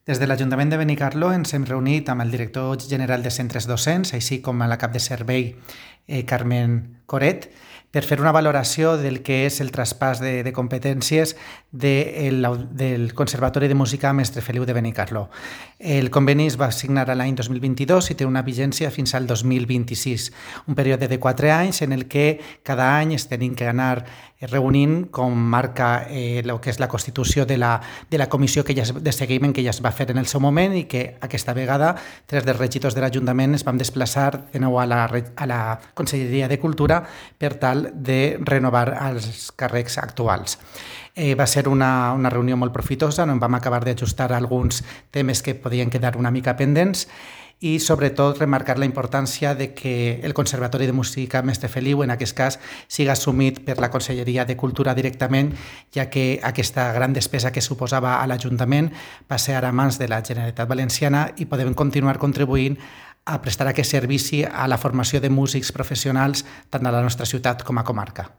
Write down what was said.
Des de l'Ajuntament de Benicarló ens hem reunit amb el director general de centres docents, així com amb la cap de servei Carmen Coret, per fer una valoració del que és el traspàs de competències del Conservatori de Música Mestre Feliu de Benicarló. El conveni es va signar l'any 2022 i té una vigència fins al 2026, un període de 4 anys en el que cada any es tenim que anar reunint, com marca el que és la constitució de la comissió de seguiment que ja es va fer en el seu moment, i que aquesta vegada 3 dels regidors de l'Ajuntament es van desplaçar de nou a la Conselleria de Cultura per tal de renovar els càrrecs actuals. Va ser una reunió molt profitosa, on vam acabar d'ajustar alguns temes que podien quedar una mica pendents i sobretot remarcar la importància de que el Conservatori de Música Mestre Feliu, en aquest cas, siga assumit per la Conselleria de Cultura directament, ja que aquesta gran despesa que suposava a l'Ajuntament passa ara a mans de la Generalitat Valenciana i podem continuar contribuint a prestar aquest servici a la formació de músics professionals tant a la nostra ciutat com a comarca.